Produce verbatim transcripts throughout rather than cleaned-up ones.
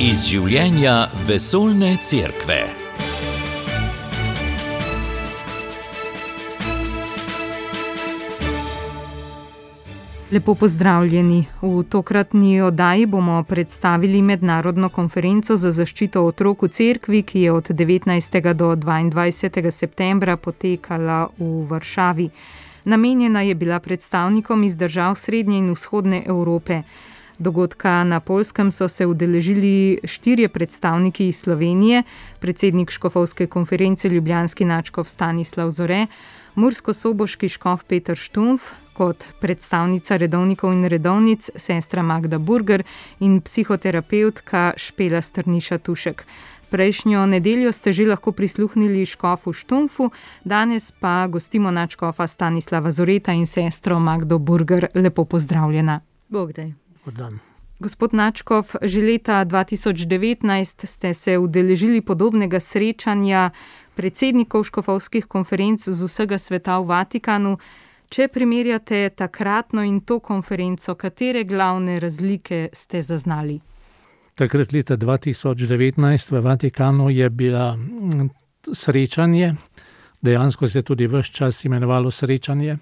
Iz življenja vesoljne cerkve. Lepo pozdravljeni. V tokratni oddaji bomo predstavili mednarodno konferenco za zaščito otrok v cerkvi, ki je od devetnajstega do dvaindvajsetega septembra potekala v Varšavi. Namenjena je bila predstavnikom iz držav srednje in vzhodne Evrope. Dogodka na Poljskem so se udeležili štirje predstavniki iz Slovenije, predsednik škofovske konference ljubljanski nadškof Stanislav Zore, murskosoboški škof Peter Štumpf, kot predstavnica redovnikov in redovnic sestra Magda Burger in psihoterapevtka Špela Strniša Tušek. Prejšnjo nedeljo ste že lahko prisluhnili škofu Štumpfu, danes pa gostimo nadškofa Stanislava Zoreta in sestro Magdo Burger. Lepo pozdravljena. Bog daj. Gospod nadškof, že leta dva tisoč devetnajst ste se udeležili podobnega srečanja predsednikov škofovskih konferenc z vsega sveta v Vatikanu. Če primerjate takratno in to konferenco, katere glavne razlike ste zaznali? Takrat leta dva tisoč devetnajst v Vatikanu je bila srečanje, dejansko se je tudi ves čas imenovalo srečanje,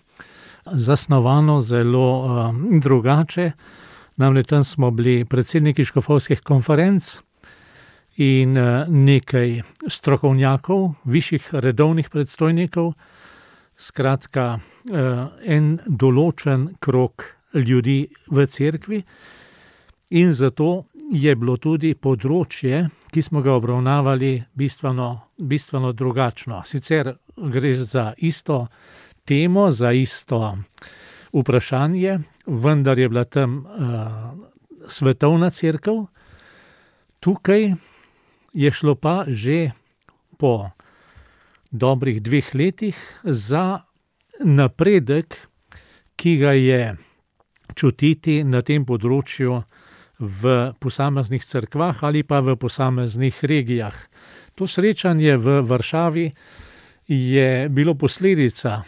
zasnovano zelo uh, drugače. Namreč tam smo bili predsedniki škofovskih konferenc in uh, nekaj strokovnjakov, višjih redovnih predstojnikov, skratka uh, en določen krog ljudi v cerkvi, in zato je bilo tudi področje, ki smo ga obravnavali, bistveno, bistveno drugačno. Sicer gre za isto temo, za isto vprašanje, vendar je bila tam uh, svetovna cerkev. Tukaj je šlo pa že po dobrih dveh letih za napredek, ki ga je čutiti na tem področju v posameznih cerkvah ali pa v posameznih regijah. To srečanje v Varšavi je bilo posledica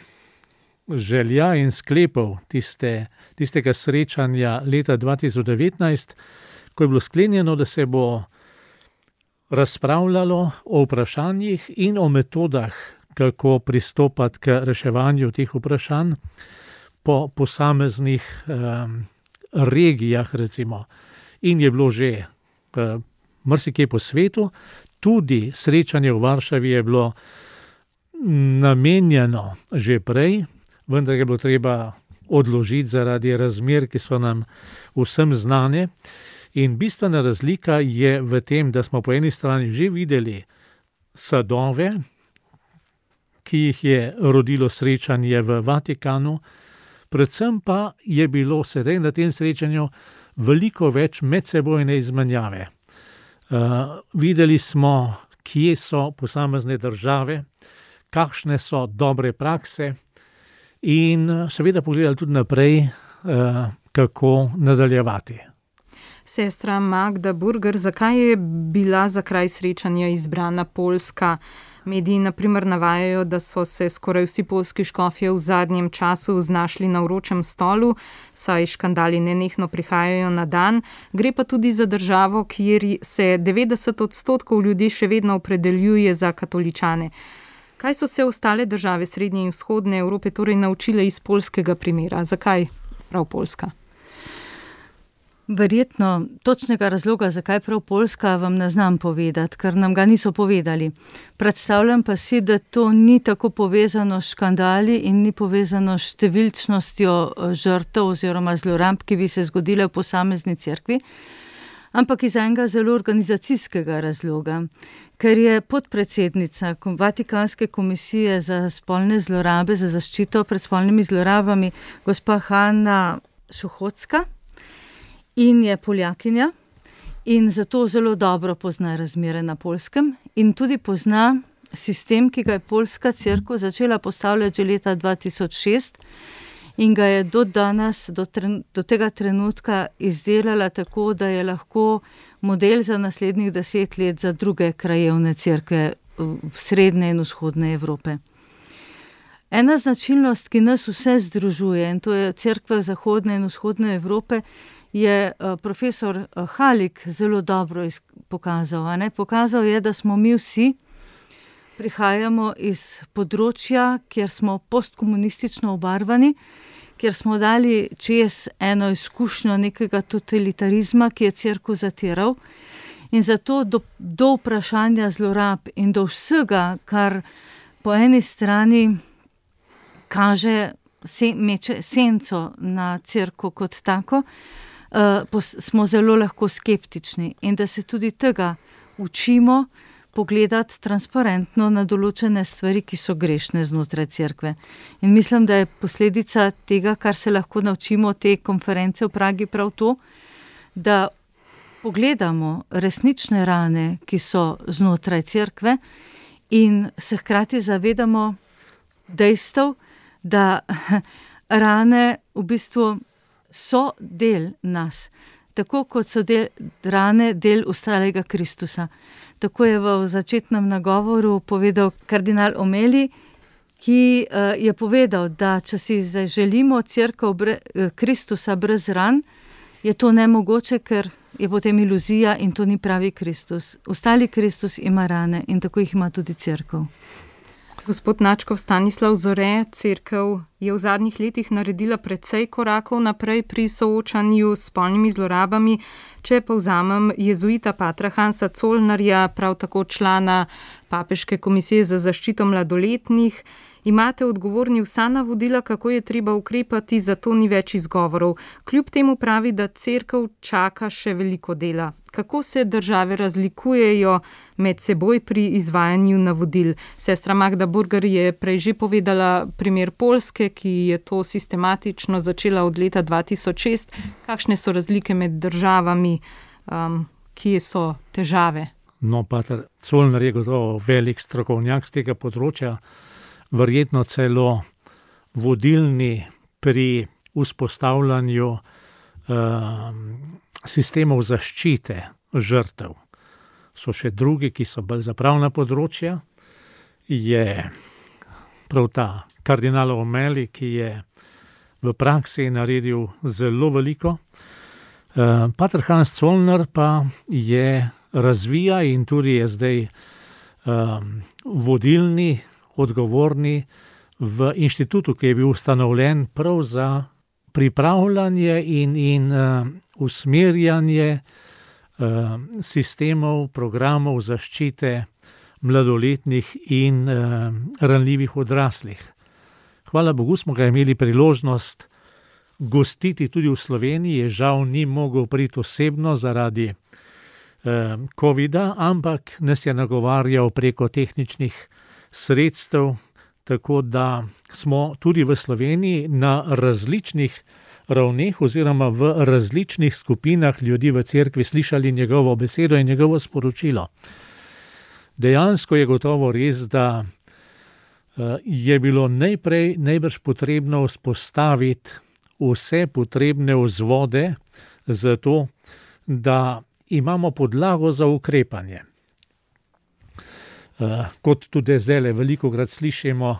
želja in sklepov tiste, tistega srečanja leta dva tisoč devetnajst, ko je bilo sklenjeno, da se bo razpravljalo o vprašanjih in o metodah, kako pristopati k reševanju teh vprašanj po posameznih um, regijah, recimo. In je bilo že uh, marsikje po svetu, tudi srečanje v Varšavi je bilo namenjeno že prej, vendar je bilo treba odložiti zaradi razmer, ki so nam vsem znane. In bistvena razlika je v tem, da smo po eni strani že videli sadove, ki jih je rodilo srečanje v Vatikanu, predvsem pa je bilo sedaj na tem srečanju veliko več medsebojne izmenjave. Uh, videli smo, kje so posamezne države, kakšne so dobre prakse, in seveda pogledali tudi naprej, uh, kako nadaljevati. Sestra Magda Burger, zakaj je bila za kraj srečanja izbrana Poljska? Mediji na primer navajajo, da so se skoraj vsi poljski škofje v zadnjem času znašli na vročem stolu, saj škandali nenehno prihajajo na dan. Gre pa tudi za državo, kjer se devetdeset odstotkov ljudi še vedno opredeljuje za katoličane. Kaj so se ostale države srednje in vzhodne Evrope torej naučile iz poljskega primera? Zakaj prav Poljska? Verjetno točnega razloga, zakaj prav Poljska, vam ne znam povedati, ker nam ga niso povedali. Predstavljam pa si, da to ni tako povezano s škandali in ni povezano s številčnostjo žrtev oziroma zlorab, ki bi se zgodile v posamezni cerkvi, ampak iz enega zelo organizacijskega razloga, ker je podpredsednica Vatikanske komisije za spolne zlorabe, za zaščito pred spolnimi zlorabami, gospa Hanna Suchocka, in je Poljakinja in zato zelo dobro pozna razmere na Poljskem in tudi pozna sistem, ki ga je poljska cerkev začela postavljati že leta dva tisoč šest in ga je do danes, do, tren, do tega trenutka izdelala tako, da je lahko model za naslednjih deset let za druge krajevne cerkve v srednje in vzhodne Evrope. Ena značilnost, ki nas vse združuje, in to je cerkve zahodne in vzhodne Evrope, je profesor Halik zelo dobro pokazal. Ne? Pokazal je, da smo mi vsi, prihajamo iz področja, kjer smo postkomunistično obarvani, kjer smo dali čez eno izkušnjo nekega totalitarizma, ki je cerkev zatiral. In zato do, do vprašanja zlorab in do vsega, kar po eni strani kaže, se, meče senco na cerkev kot tako, uh, pos, smo zelo lahko skeptični. In da se tudi tega učimo pogledati transparentno na določene stvari, ki so grešne znotraj cerkve. In mislim, da je posledica tega, kar se lahko naučimo te konference v Pragi, prav to, da pogledamo resnične rane, ki so znotraj cerkve in se hkrati zavedamo dejstev, da rane v bistvu so del nas, tako kot so del, rane del ostalega Kristusa. Tako je v začetnem nagovoru povedal kardinal Omeli, ki je povedal, da če si želimo cerkev bre, Kristusa brez ran, je to nemogoče, ker je potem iluzija in to ni pravi Kristus. Ostali Kristus ima rane in tako jih ima tudi cerkev. Gospod Načkov Stanislav Zore, cerkev je v zadnjih letih naredila precej korakov naprej pri soočanju s spolnimi zlorabami. Če povzamem jezuita patra Hansa Zollnerja, prav tako člana Papeške komisije za zaščito mladoletnih, imate odgovorni vsa navodila, kako je treba ukrepati, zato ni več izgovorov. Kljub temu pravi, da cerkev čaka še veliko dela. Kako se države razlikujejo med seboj pri izvajanju navodil? Sestra Magda Burger je prej že povedala primer Poljske, ki je to sistematično začela od leta dva tisoč šest. Kakšne so razlike med državami, um, kje so težave? No, pater Zollner je gotovo velik strokovnjak z tega področja, verjetno celo vodilni pri vzpostavljanju uh, sistemov zaščite žrtev. So še drugi, ki so bolj zapravna področja. Je prav ta kardinal Omeli, ki je v praksi naredil zelo veliko. Uh, pater Hans Zollner pa je razvija in tudi je zdaj um, vodilni, odgovorni v inštitutu, ki je bil ustanovljen prav za pripravljanje in, in uh, usmerjanje uh, sistemov, programov zaščite mladoletnih in uh, ranljivih odraslih. Hvala Bogu smo ga imeli priložnost gostiti tudi v Sloveniji, žal ni mogel priti osebno zaradi uh, covida, ampak nas je nagovarjal preko tehničnih sredstev, tako da smo tudi v Sloveniji na različnih ravneh oziroma v različnih skupinah ljudi v cerkvi slišali njegovo besedo in njegovo sporočilo. Dejansko je gotovo res, da je bilo najprej najbrž potrebno vzpostaviti vse potrebne vzvode za to, da imamo podlago za ukrepanje. Uh, kot tudi zdaj veliko krat slišimo,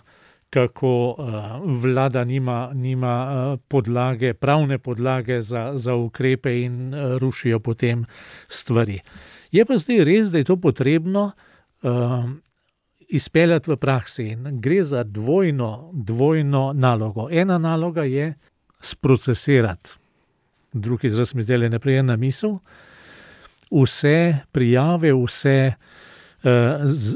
kako uh, vlada nima, nima uh, podlage, pravne podlage za, za ukrepe in uh, rušijo potem stvari. Je pa zdaj res, da je to potrebno uh, izpeljati v praksi. Gre za dvojno, dvojno nalogo. Ena naloga je sprocesirati, drugi izraz mi zdaj ne prije na misel, vse prijave, vse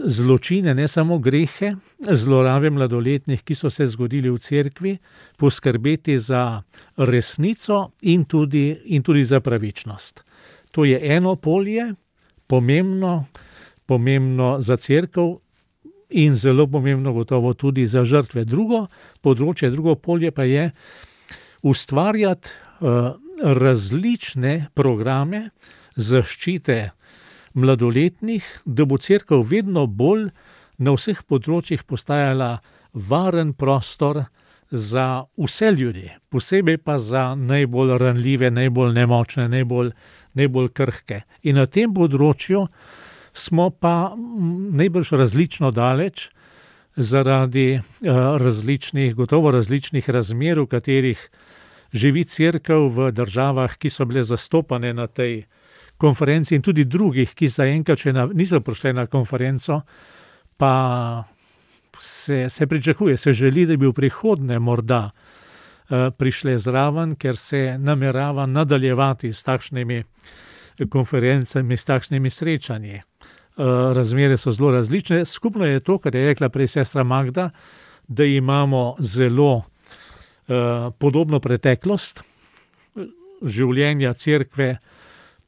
zločine, ne samo grehe, zlorabe mladoletnih, ki so se zgodili v cerkvi, poskrbeti za resnico in tudi, in tudi za pravičnost. To je eno polje, pomembno, pomembno za cerkev in zelo pomembno gotovo tudi za žrtve. Drugo področje, drugo polje pa je ustvarjati uh, različne programe zaščite mladoletnih, da bo cerkev vedno bolj na vseh področjih postajala varen prostor za vse ljudi, posebej pa za najbolj ranljive, najbolj nemočne, najbolj, najbolj krhke. In na tem področju smo pa najbrž različno daleč zaradi različnih, gotovo različnih razmer, v katerih živi cerkev v državah, ki so bile zastopane na tej konferenci in tudi drugih, ki zaenkrat še niso prišli na konferenco, pa se, se pričakuje, se želi, da bi v prihodnje morda prišle zraven, ker se namerava nadaljevati s takšnimi konferencami, s takšnimi srečanji. Razmere so zelo različne. Skupno je to, kar je rekla prej sestra Magda, da imamo zelo podobno preteklost življenja cerkve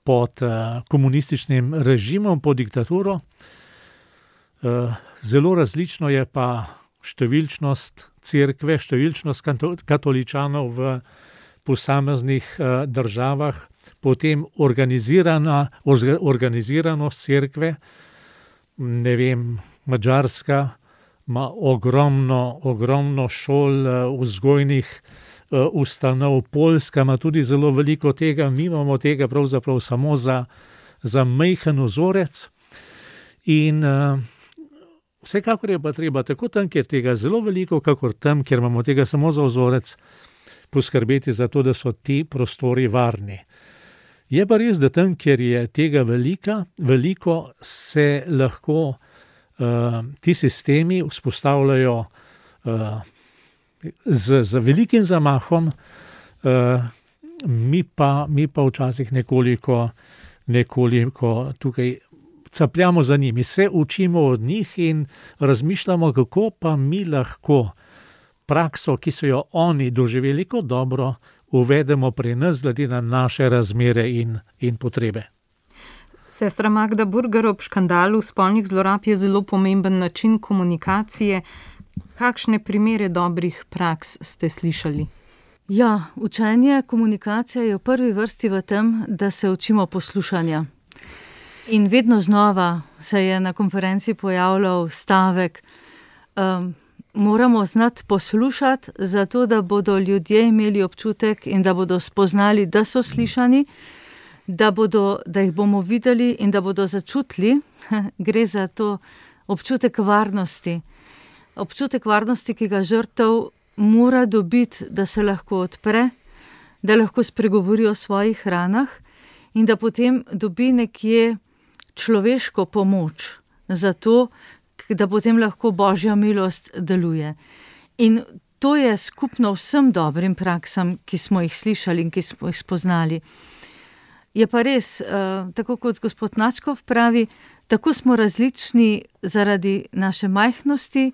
pod komunističnim režimom, pod diktaturo. Zelo različno je pa številčnost cerkve, številčnost katoličanov v posameznih državah, potem organizirana, organiziranost cerkve, ne vem, Madžarska ima ogromno, ogromno šol, vzgojnih ustanov, Poljska ima tudi zelo veliko tega, mi imamo tega pravzaprav samo za, za majhen vzorec in vsekakor je pa treba tako tam, kjer tega zelo veliko, kakor tam, kjer imamo tega samo za vzorec, poskrbeti za to, da so ti prostori varni. Je pa res, da tam, kjer je tega velika, veliko, se lahko uh, ti sistemi vzpostavljajo uh, z, z velikim zamahom, uh, mi pa, mi pa včasih nekoliko, nekoliko tukaj capljamo za njimi, se učimo od njih in razmišljamo, kako pa mi lahko prakso, ki so jo oni doživeli kot dobro, uvedemo pri nas glede na naše razmere in, in potrebe. Sestra Magda Burger, ob škandalu spolnih zlorab je zelo pomemben način komunikacije. Kakšne primere dobrih praks ste slišali? Ja, učenje komunikacije je v prvi vrsti v tem, da se učimo poslušanja. In vedno znova se je na konferenci pojavljal stavek, um, moramo znati poslušati, zato da bodo ljudje imeli občutek in da bodo spoznali, da so slišani, da, bodo, da jih bomo videli in da bodo začutili. Gre za to občutek varnosti. Občutek varnosti, ki ga žrtev mora dobiti, da se lahko odpre, da lahko spregovori o svojih ranah in da potem dobi nekje človeško pomoč za to, da potem lahko Božja milost deluje. In to je skupno vsem dobrim praksam, ki smo jih slišali in ki smo jih spoznali. Je pa res, tako kot gospod Načkov pravi, tako smo različni zaradi naše majhnosti,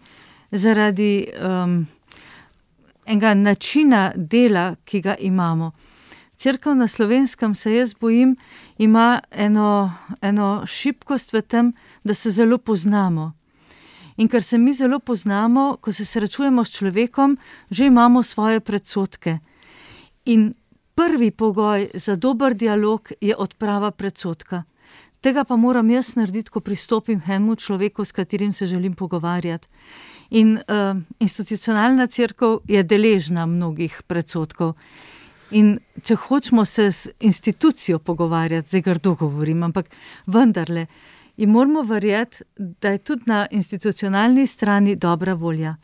zaradi um, enega načina dela, ki ga imamo. Cerkev na Slovenskem, se jaz bojim, ima eno, eno šibkost v tem, da se zelo poznamo. In ker se mi zelo poznamo, ko se srečujemo s človekom, že imamo svoje predsodke. In prvi pogoj za dober dialog je odprava predsodka. Tega pa moram jaz narediti, ko pristopim k enemu človeku, s katerim se želim pogovarjati. In uh, institucionalna cerkev je deležna mnogih predsodkov. In če hočemo se z institucijo pogovarjati, zdaj grdo govorim, ampak vendarle, in moramo verjeti, da je tudi na institucionalni strani dobra volja.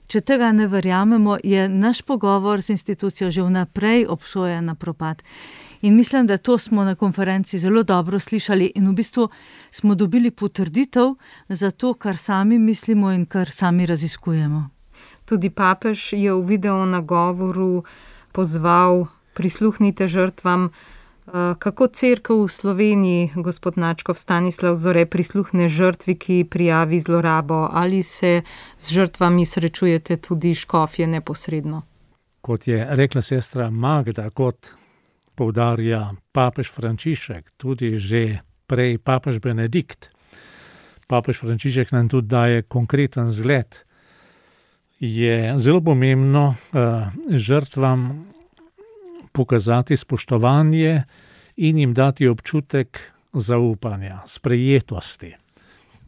Če tega ne verjamemo, je naš pogovor z institucijo že vnaprej obsojen na propad. In mislim, da to smo na konferenci zelo dobro slišali in v bistvu smo dobili potrditev za to, kar sami mislimo in kar sami raziskujemo. Tudi papež je v video nagovoru pozval, prisluhnite žrtvam. Kako cerkev v Sloveniji, gospod Načkov, Stanislav Zore, prisluhne žrtvi, ki prijavi zlorabo? Ali se z žrtvami srečujete tudi škofje neposredno? Kot je rekla sestra Magda, kot poudarja papež Frančišek, tudi že prej papež Benedikt. Papež Frančišek nam tudi daje konkreten zgled. Je zelo pomembno uh, žrtvam pokazati spoštovanje in jim dati občutek zaupanja, sprejetosti,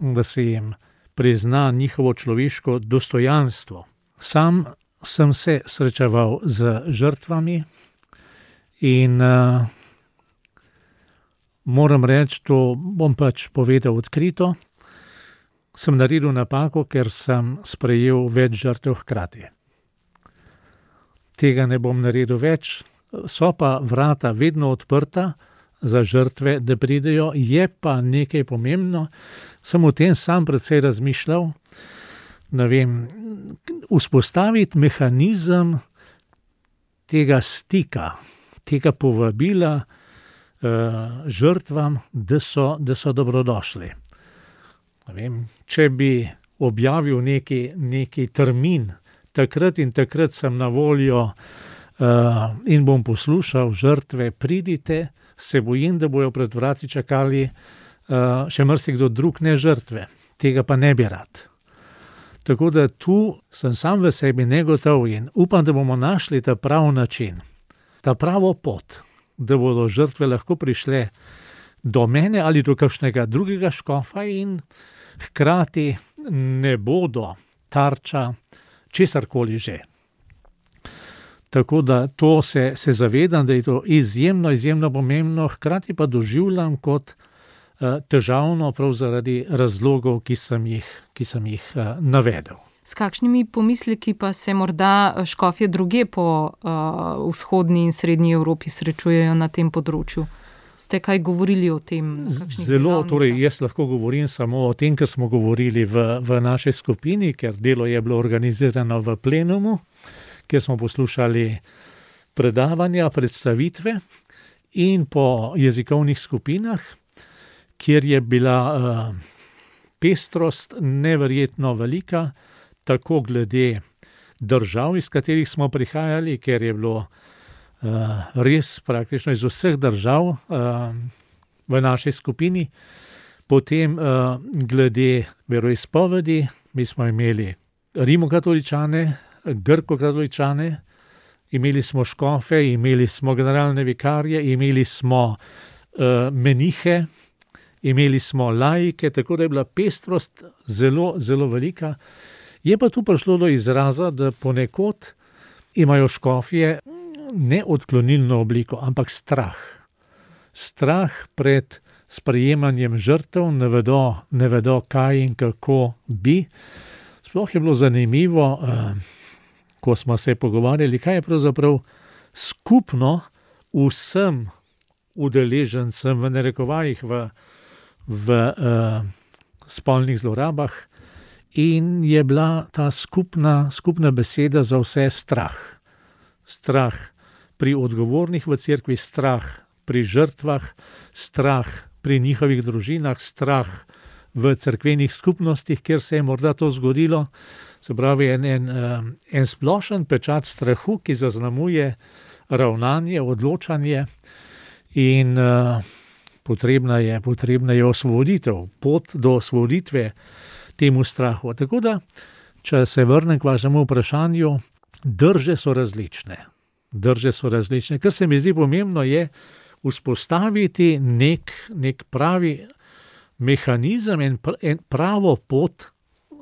da se jim prizna njihovo človeško dostojanstvo. Sam sem se srečeval z žrtvami in uh, moram reči, to bom pač povedal odkrito, sem naredil napako, ker sem sprejel več žrtev hkrati. Tega ne bom naredil več, so pa vrata vedno odprta za žrtve, da pridejo, je pa nekaj pomembno, sem o tem sam precej razmišljal, ne vem, vzpostaviti mehanizem tega stika, tega povabila uh, žrtvam, da so, da so dobrodošli. Ne vem, če bi objavil neki, neki termin, takrat in takrat sem na voljo uh, in bom poslušal žrtve, pridite, se bojim, da bojo pred vrati čakali uh, še marsikdo drug, ne žrtve. Tega pa ne bi rad. Tako da tu sem sam v sebi negotov in upam, da bomo našli ta prav način, ta pravo pot, da bodo žrtve lahko prišle do mene ali do kakšnega drugega škofa in hkrati ne bodo tarča česarkoli že. Tako da to se, se zavedam, da je to izjemno, izjemno pomembno, hkrati pa doživljam kot težavno prav zaradi razlogov, ki sem jih, ki sem jih uh, navedel. S kakšnimi pomisleki pa se morda škofje druge po uh, vzhodni in srednji Evropi srečujejo na tem področju? Ste kaj govorili o tem? Zelo, torej jaz lahko govorim samo o tem, kar smo govorili v, v naši skupini, ker delo je bilo organizirano v plenumu, kjer smo poslušali predavanja, predstavitve in po jezikovnih skupinah, kjer je bila uh, pestrost neverjetno velika, tako glede držav, iz katerih smo prihajali, ker je bilo uh, res praktično iz vseh držav uh, v naši skupini, potem uh, glede veroizpovedi, mi smo imeli rimokatoličane, grkokatoličane, imeli smo škofe, imeli smo generalne vikarje, imeli smo uh, menihe, imeli smo laike, tako da je bila pestrost zelo, zelo velika. Je pa tu prišlo do izraza, da ponekod imajo škofje ne odklonilno obliko, ampak strah. Strah pred sprejemanjem žrtev, ne vedo, ne vedo kaj in kako bi. Sploh je bilo zanimivo, ko smo se pogovarjali, kaj je pravzaprav skupno vsem udeležencem v narekovajih v v uh, spolnih zlorabah in je bila ta skupna, skupna beseda za vse strah. Strah pri odgovornih v cerkvi, strah pri žrtvah, strah pri njihovih družinah, strah v cerkvenih skupnostih, kjer se je morda to zgodilo. Se pravi, en, en, en splošen pečat strahu, ki zaznamuje ravnanje, odločanje in uh, Potrebna je, potrebna je osvoboditev, pot do osvoboditve temu strahu. Tako da, če se vrnem k vašemu vprašanju, drže so različne. Drže so različne. Kar se mi zdi pomembno je vzpostaviti nek, nek pravi mehanizem in pravo pot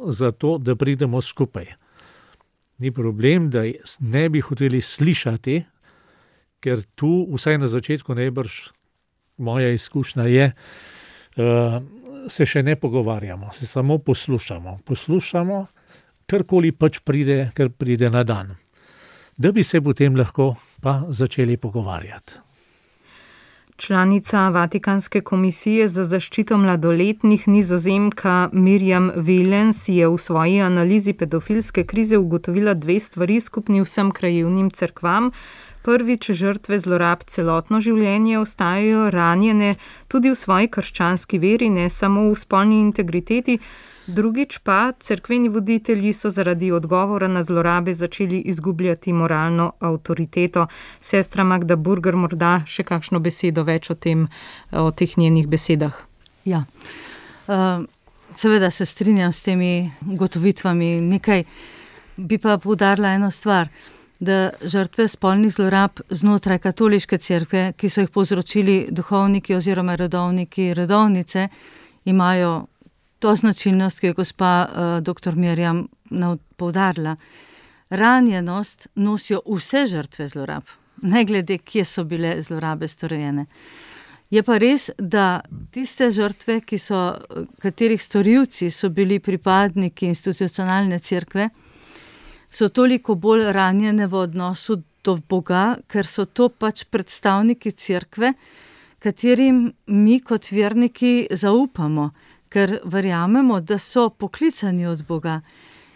za to, da pridemo skupaj. Ni problem, da ne bi hoteli slišati, ker tu vsaj na začetku najbrž moja izkušnja je, uh, se še ne pogovarjamo, se samo poslušamo. Poslušamo, karkoli pač pride, kar pride na dan. Da bi se potem lahko pa začeli pogovarjati. Članica Vatikanske komisije za zaščito mladoletnih Nizozemka Mirjam Velens je v svoji analizi pedofilske krize ugotovila dve stvari skupni vsem krajevnim cerkvam. Prvič, žrtve zlorab celotno življenje ostajajo ranjene tudi v svoji krščanski veri, ne samo v spolni integriteti. Drugič pa, cerkveni voditelji so zaradi odgovora na zlorabe začeli izgubljati moralno avtoriteto. Sestra Magda Burger, morda še kakšno besedo več o tem, o teh njenih besedah? Ja, uh, seveda se strinjam s temi ugotovitvami. Nekaj bi pa poudarila eno stvar, da žrtve spolnih zlorab znotraj katoliške cerkve, ki so jih povzročili duhovniki oziroma redovniki, redovnice, imajo to značilnost, ki je gospa uh, doktor Mirjam poudarila. Ranjenost nosijo vse žrtve zlorab, ne glede, kje so bile zlorabe storjene. Je pa res, da tiste žrtve, ki so, katerih storilci so bili pripadniki institucionalne cerkve, so toliko bolj ranjene v odnosu do Boga, ker so to pač predstavniki cerkve, katerim mi kot verniki zaupamo, ker verjamemo, da so poklicani od Boga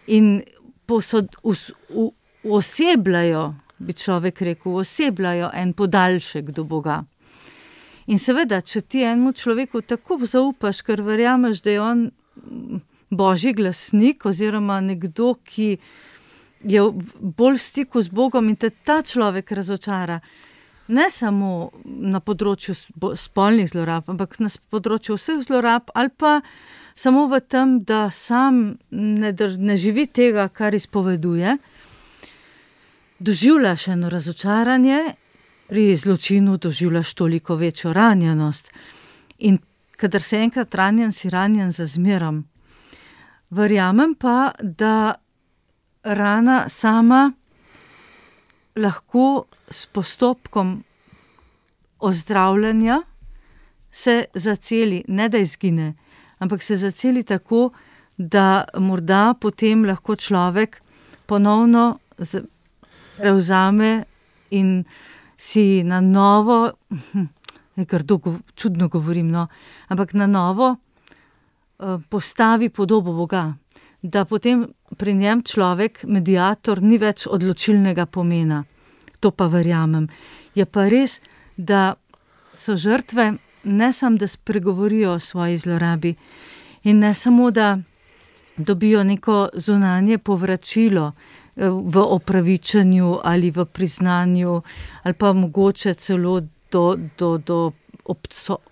in posod, us, u, osebljajo, bi človek rekel, osebljajo en podaljšek do Boga. In seveda, če ti enemu človeku tako zaupaš, ker verjameš, da je on božji glasnik oziroma nekdo, ki je bolj v stiku z Bogom in te ta človek razočara, ne samo na področju spolnih zlorab, ampak na področju vseh zlorab ali pa samo v tem, da sam ne, ne živi tega, kar izpoveduje, doživljaš eno razočaranje, pri zločinu doživljaš toliko večjo ranjenost. In kadar se enkrat ranjen, si ranjen za zmerom. Verjamem pa, da rana sama lahko s postopkom ozdravljanja se zaceli, ne da izgine, ampak se zaceli tako, da morda potem lahko človek ponovno prevzame in si na novo, nekaj čudno govorim, no, ampak na novo postavi podobo Boga, da potem pri njem človek, mediator, ni več odločilnega pomena. To pa verjamem. Je pa res, da so žrtve ne samo, da spregovorijo o svoji zlorabi in ne samo, da dobijo neko zunanje povračilo v opravičenju ali v priznanju ali pa mogoče celo do, do, do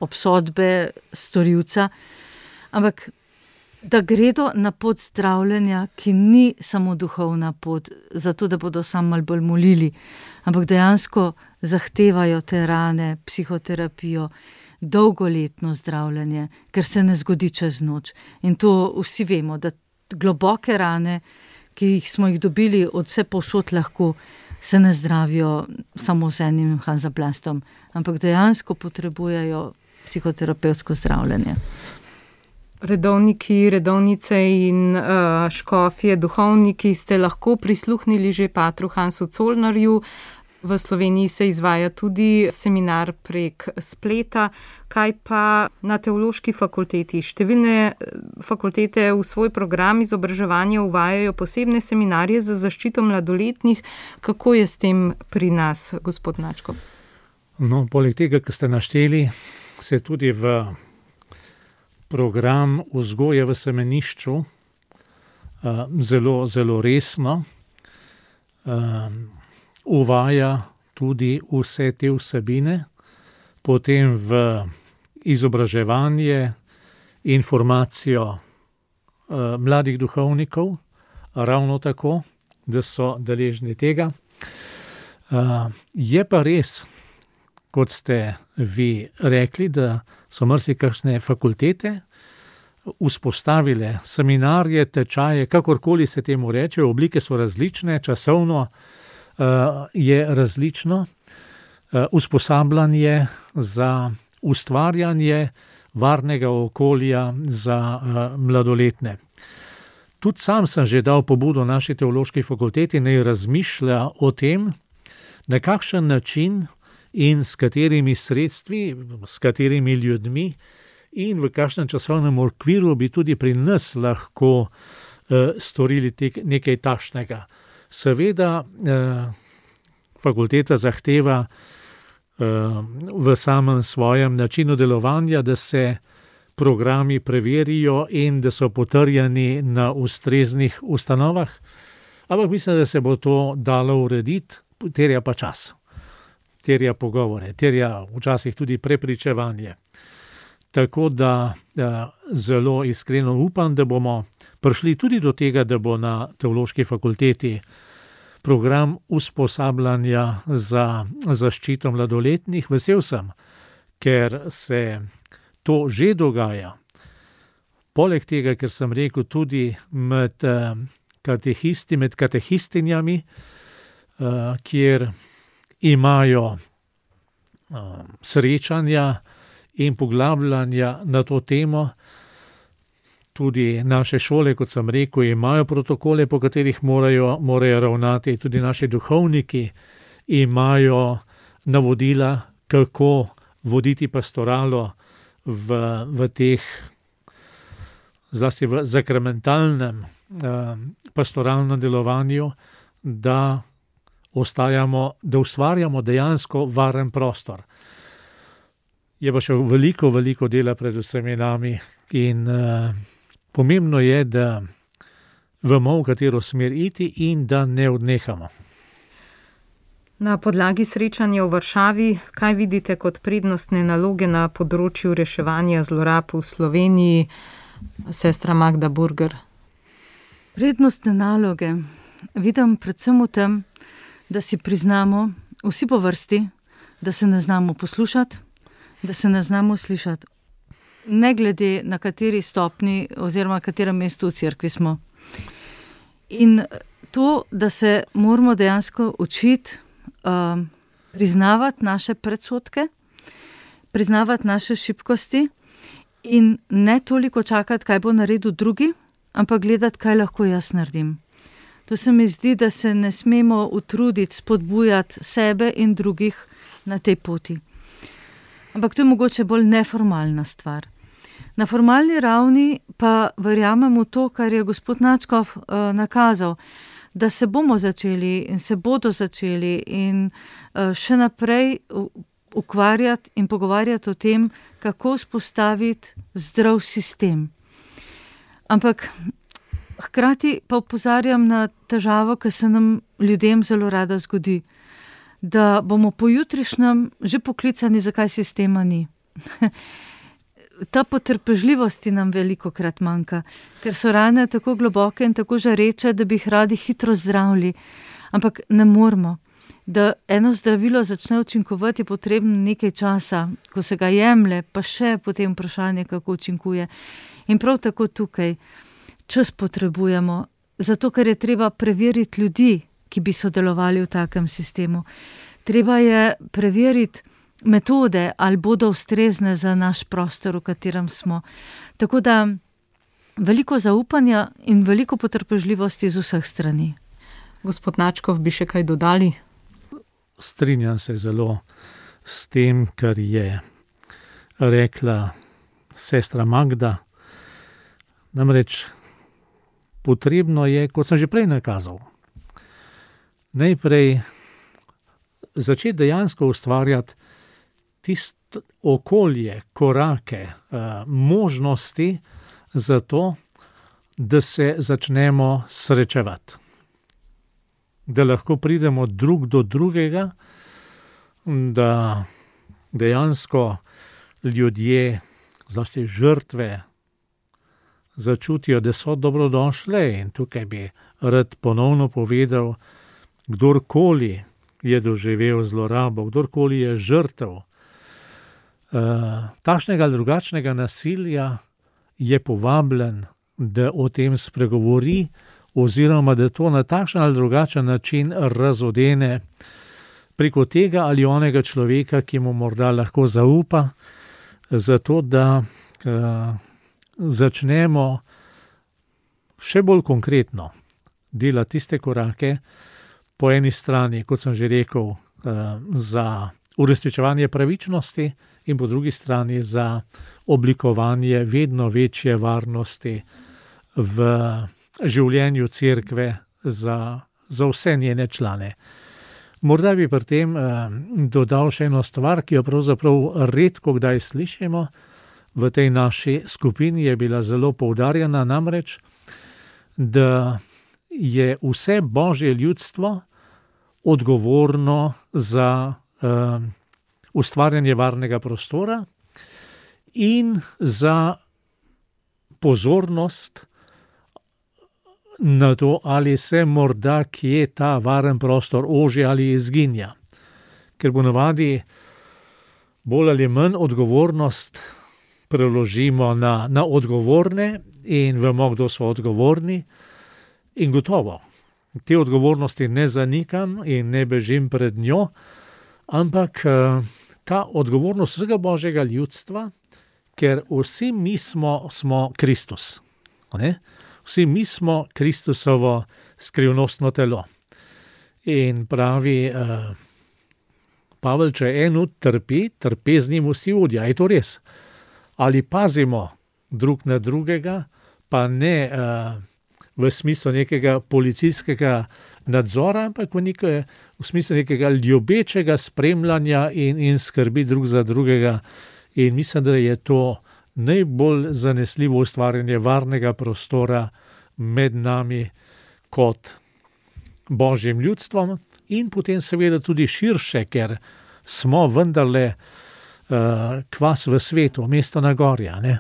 obsodbe storilca, ampak da gredo na pot zdravljenja, ki ni samo duhovna pot, zato da bodo samo malo bolj molili, ampak dejansko zahtevajo te rane, psihoterapijo, dolgoletno zdravljenje, ker se ne zgodi čez noč. In to vsi vemo, da globoke rane, ki jih smo jih dobili od vse povsod lahko, se ne zdravijo samo z enim hanzaplastom, ampak dejansko potrebujejo psihoterapevtsko zdravljenje. Redovniki, redovnice in uh, škofje, duhovniki ste lahko prisluhnili že patru Hansu Colnarju. V Sloveniji se izvaja tudi seminar prek spleta. Kaj pa na teološki fakulteti? Številne fakultete v svoj program izobraževanja uvajajo posebne seminarje za zaščito mladoletnih. Kako je s tem pri nas, gospod Načko? No, poleg tega, kar ste našteli, se tudi v program vzgoje v semenišču uh, zelo, zelo resno uh, uvaja tudi vse te vsebine, potem v izobraževanje, informacijo uh, mladih duhovnikov, ravno tako, da so deležni tega. Uh, je pa res, kot ste vi rekli, da so marsikakšne fakultete vzpostavile seminarje, tečaje, kakorkoli se temu reče, oblike so različne, časovno uh, je različno, uh, usposabljanje za ustvarjanje varnega okolja za uh, mladoletne. Tudi sam sem že dal pobudo naši teološki fakulteti, naj razmišlja o tem, na kakšen način in s katerimi sredstvi, s katerimi ljudmi in v kakšnem časovnem okviru bi tudi pri nas lahko eh, storili tek, nekaj takšnega. Seveda eh, fakulteta zahteva eh, v samem svojem načinu delovanja, da se programi preverijo in da so potrjeni na ustreznih ustanovah, ampak mislim, da se bo to dalo urediti, terja pa čas. Terja pogovore, terja včasih tudi prepričevanje. Tako da, da zelo iskreno upam, da bomo prišli tudi do tega, da bo na teološki fakulteti program usposabljanja za zaščito mladoletnih. Vesel sem, ker se to že dogaja. Poleg tega, ker sem rekel tudi med katehisti, med katehistinjami, kjer imajo uh, srečanja in poglabljanja na to temo. Tudi naše šole, kot sem rekel, imajo protokole, po katerih morajo, morajo ravnati. Tudi naši duhovniki imajo navodila, kako voditi pastoralo v, v teh, zlasti v zakramentalnem eh, pastoralnem delovanju, da ostajamo, da ustvarjamo dejansko varen prostor. Je pa še veliko, veliko dela pred vsemi nami in uh, pomembno je, da vemo, v katero smer iti in da ne odnehamo. Na podlagi srečanja v Varšavi, kaj vidite kot prednostne naloge na področju reševanja zlorab v Sloveniji, sestra Magda Burger? Prednostne naloge vidim predvsem v tem, da si priznamo vsi po vrsti, da se ne znamo poslušati, da se ne znamo slišati, ne glede na kateri stopni oziroma katerem mestu v cerkvi smo. In to, da se moramo dejansko učiti uh, priznavati naše predsodke, priznavati naše šibkosti in ne toliko čakati, kaj bo naredil drugi, ampak gledati, kaj lahko jaz naredim. To se mi zdi, da se ne smemo utruditi spodbujati sebe in drugih na tej poti. Ampak to je mogoče bolj neformalna stvar. Na formalni ravni pa verjamem v to, kar je gospod Načkov uh, nakazal, da se bomo začeli in se bodo začeli in uh, še naprej ukvarjati in pogovarjati o tem, kako vzpostaviti zdrav sistem. Ampak hkrati pa opozarjam na težavo, ki se nam ljudem zelo rada zgodi, da bomo pojutrišnjem že poklicani, zakaj sistema ni. Ta potrpežljivosti nam veliko krat manjka, ker so rane tako globoke in tako žareče, da bi jih radi hitro zdravili. Ampak ne moramo. Da eno zdravilo začne učinkovati, je potrebno nekaj časa, ko se ga jemlje, pa še potem vprašanje, kako učinkuje. In prav tako tukaj čas potrebujemo, zato ker je treba preveriti ljudi, ki bi sodelovali v takem sistemu. Treba je preveriti metode, ali bodo ustrezne za naš prostor, v katerem smo. Tako da veliko zaupanja in veliko potrpežljivosti z vseh strani. Gospod Načkov, bi še kaj dodali? Strinjam se zelo s tem, kar je rekla sestra Magda. Namreč potrebno je, kot sem že prej nakazal, najprej začeti dejansko ustvarjati tisto okolje, korake, možnosti za to, da se začnemo srečevati. Da lahko pridemo drug do drugega, da dejansko ljudje, zlasti žrtve, začutijo, da so dobrodošle. In tukaj bi rad ponovno povedal, kdorkoli je doživel zlorabo, kdorkoli je žrtev Uh, takšnega ali drugačnega nasilja, je povabljen, da o tem spregovori oziroma da to na takšen ali drugačen način razodene preko tega ali onega človeka, ki mu morda lahko zaupa, zato da uh, začnemo še bolj konkretno delati tiste korake, po eni strani, kot sem že rekel, uh, za uresničevanje pravičnosti in po drugi strani za oblikovanje vedno večje varnosti v življenju cerkve za, za vse njene člane. Morda bi pri tem eh, dodal še eno stvar, ki jo pravzaprav redko kdaj slišimo. V tej naši skupini je bila zelo poudarjena, namreč, da je vse Božje ljudstvo odgovorno za Uh, ustvarjanje varnega prostora in za pozornost na to, ali se morda kje ta varen prostor oži ali izginja. Ker bo navadi bolj ali manj odgovornost preložimo na, na odgovorne in vemo, kdo so odgovorni, in gotovo. Te odgovornosti ne zanikam in ne bežim pred njo, ampak ta odgovornost vsega Božjega ljudstva, ker vsi mi smo, smo Kristus. Ne? Vsi mi smo Kristusovo skrivnostno telo. In pravi uh, Pavel, če eno trpi, trpi z njim vsi vodja. Je to res? Ali pazimo drug na drugega, pa ne uh, v smislu nekega policijskega nadzora, ampak v, nekaj, v smislu nekega ljubečega spremljanja in, in skrbi drug za drugega. In mislim, da je to najbolj zanesljivo ustvarjanje varnega prostora med nami kot Božjim ljudstvom in potem seveda tudi širše, ker smo vendarle uh, kvas v svetu, mesto na gorja, ne?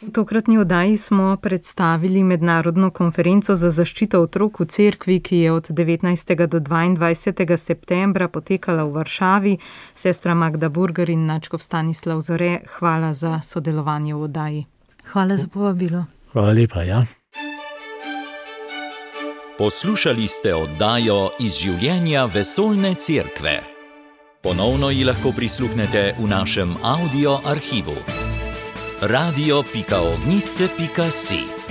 V tokratni oddaji smo predstavili mednarodno konferenco za zaščito otrok v cerkvi, ki je od devetnajstega do dvaindvajsetega septembra potekala v Varšavi. Sestra Magda Burger in nadškof Stanislav Zore, hvala za sodelovanje v oddaji. Hvala za povabilo. Hvala lepa, ja. Poslušali ste oddajo Iz življenja vesoljne cerkve. Ponovno ji lahko prisluhnete v našem audio arhivu. radio pika ognjišče pika si